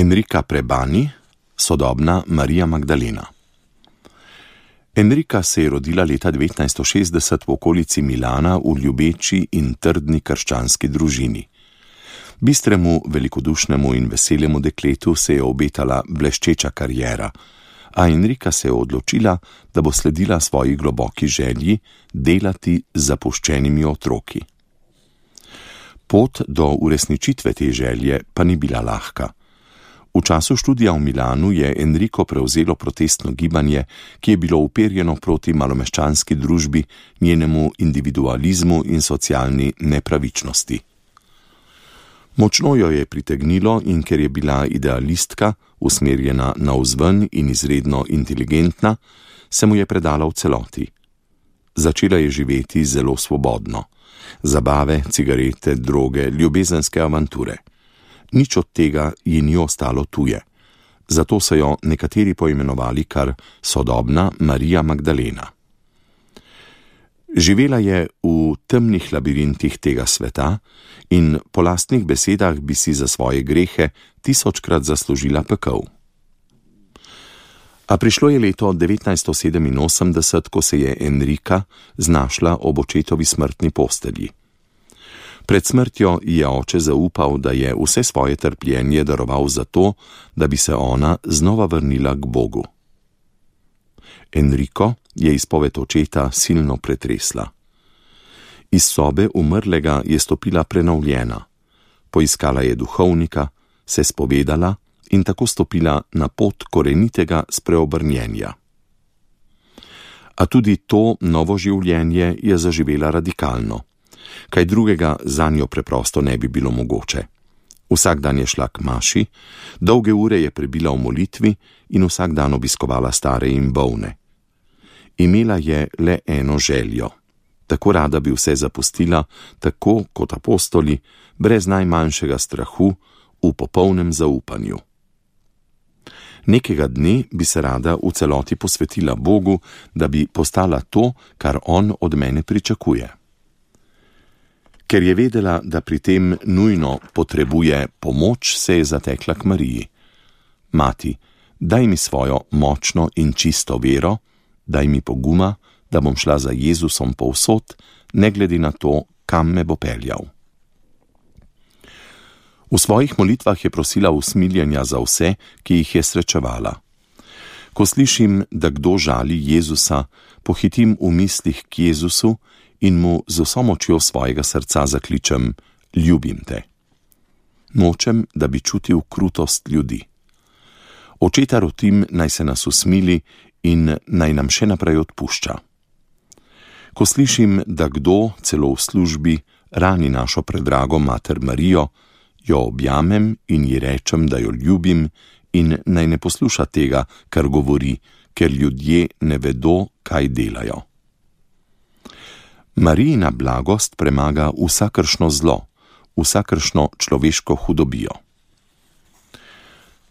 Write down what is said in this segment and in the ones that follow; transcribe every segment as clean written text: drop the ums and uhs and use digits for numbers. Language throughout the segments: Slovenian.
Enrika Prebani, sodobna Marija Magdalena. Enrika se je rodila leta 1960 v okolici Milana v ljubeči in trdni krščanski družini. Bistremu, velikodušnemu in veselemu dekletu se je obetala bleščeča kariera, a Enrika se je odločila, da bo sledila svoji globoki želji delati z zapuščenimi otroki. Pot do uresničitve te želje pa ni bila lahka. V času študija v Milanu je Enriko prevzelo protestno gibanje, ki je bilo uperjeno proti malomeščanski družbi, njenemu individualizmu in socialni nepravičnosti. Močno jo je pritegnilo in ker je bila idealistka, usmerjena navzven in izredno inteligentna, se mu je predala v celoti. Začela je živeti zelo svobodno. Zabave, cigarete, droge, ljubezenske avanture. Nič od tega ji ni ostalo tuje. Zato so jo nekateri poimenovali kar sodobna Marija Magdalena. Živela je v temnih labirintih tega sveta in po lastnih besedah bi si za svoje grehe 1000-krat zaslužila pekel. A prišlo je leto 1987, ko se je Enrika znašla ob očetovi smrtni postelji. Pred smrtjo je oče zaupal, da je vse svoje trpljenje daroval zato, da bi se ona znova vrnila k Bogu. Enriko je izpoved očeta silno pretresla. Iz sobe umrlega je stopila prenovljena. Poiskala je duhovnika, se spovedala in tako stopila na pot korenitega spreobrnjenja. A tudi to novo življenje je zaživela radikalno. Kaj drugega zanjo preprosto ne bi bilo mogoče. Vsak dan je šla k maši, dolge ure je prebila v molitvi in vsak dan obiskovala stare in bolne. Imela je le eno željo. Tako rada bi vse zapustila, tako kot apostoli, brez najmanjšega strahu, v popolnem zaupanju. Nekega dne bi se rada v celoti posvetila Bogu, da bi postala to, kar on od mene pričakuje. Ker je vedela, da pri tem nujno potrebuje pomoč, se je zatekla k Mariji. Mati, daj mi svojo močno in čisto vero, daj mi poguma, da bom šla za Jezusom povsod, ne glede na to, kam me bo peljal. V svojih molitvah je prosila usmiljenja za vse, ki jih je srečevala. Ko slišim, da kdo žali Jezusa, pohitim v mislih k Jezusu in mu z vso močjo svojega srca zakličem: ljubim te. Nočem, da bi čutil krutost ljudi. Očeta rotim, naj se nas usmili in naj nam še naprej odpušča. Ko slišim, da kdo, celo v službi, rani našo predrago mater Marijo, jo objamem in ji rečem, da jo ljubim in naj ne posluša tega, kar govori, ker ljudje ne vedo, kaj delajo. Marijina blagost premaga vsakršno zlo, vsakršno človeško hudobijo.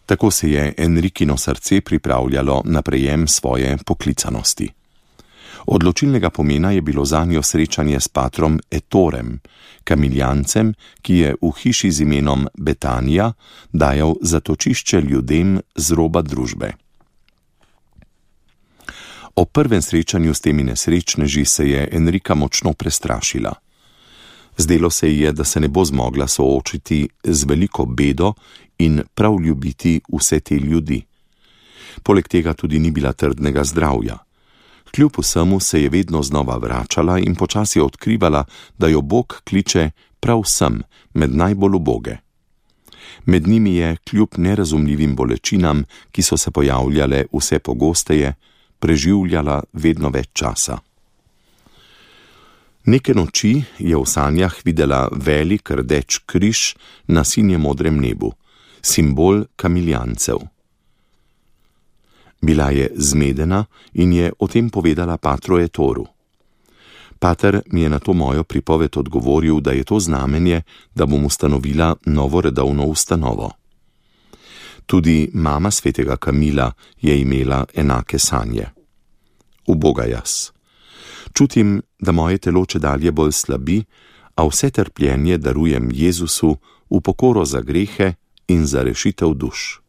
Tako se je Enrikino srce pripravljalo na prejem svoje poklicanosti. Odločilnega pomena je bilo zanjo srečanje s patrom Etorem, kamiljancem, ki je v hiši z imenom Betanija dajal zatočišče ljudem z roba družbe. O prvem srečanju s temi nesrečneži se je Enrika močno prestrašila. Zdelo se ji je, da se ne bo zmogla soočiti z veliko bedo in prav ljubiti vse te ljudi. Poleg tega tudi ni bila trdnega zdravja. Kljub vsemu se je vedno znova vračala in počasi odkrivala, da jo Bog kliče prav sem, med najbolj uboge. Med njimi je, kljub nerazumljivim bolečinam, ki so se pojavljale vse pogosteje, preživljala vedno več časa. Neke noči je v sanjah videla velik rdeč križ na sinje-modrem nebu, simbol kamiljancev. Bila je zmedena in je o tem povedala patru Etoru. Pater mi je na to mojo pripoved odgovoril, da je to znamenje, da bom ustanovila novo redovno ustanovo. Tudi mama svetega Kamila je imela enake sanje. Uboga jaz. Čutim, da moje telo čedalje bolj slabi, a vse trpljenje darujem Jezusu v pokoro za grehe in za rešitev duš.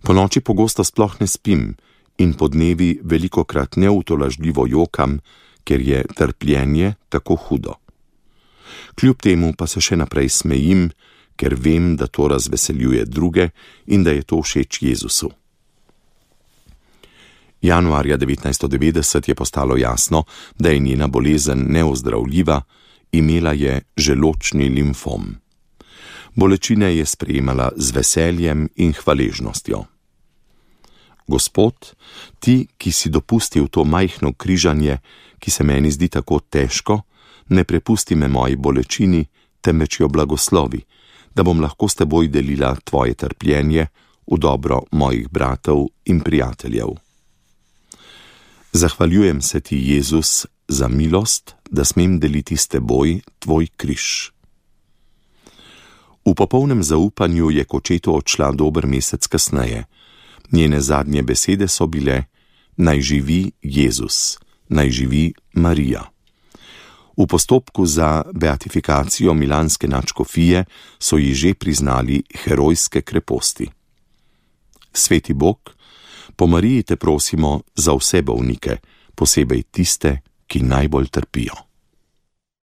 Ponoči pogosto sploh ne spim in podnevi velikokrat neutolažljivo jokam, ker je trpljenje tako hudo. Kljub temu pa se še naprej smejim, ker vem, da to razveseljuje druge in da je to všeč Jezusu. Januarja 1990 je postalo jasno, da je njena bolezen neozdravljiva, imela je želodčni limfom. Bolečine je sprejemala z veseljem in hvaležnostjo. Gospod, ti, ki si dopustil to majhno križanje, ki se meni zdi tako težko, ne prepusti me moji bolečini, temveč jo blagoslovi, da bom lahko s teboj delila tvoje trpljenje v dobro mojih bratov in prijateljev. Zahvaljujem se ti, Jezus, za milost, da smem deliti s teboj tvoj križ. V popolnem zaupanju je k očetu odšla dober mesec kasneje. Njene zadnje besede so bile: naj živi Jezus, naj živi Marija. V postopku za beatifikacijo milanske nadškofije so ji že priznali herojske kreposti. Sveti Bog, po Mariji te prosimo za vse bolnike, posebej tiste, ki najbolj trpijo.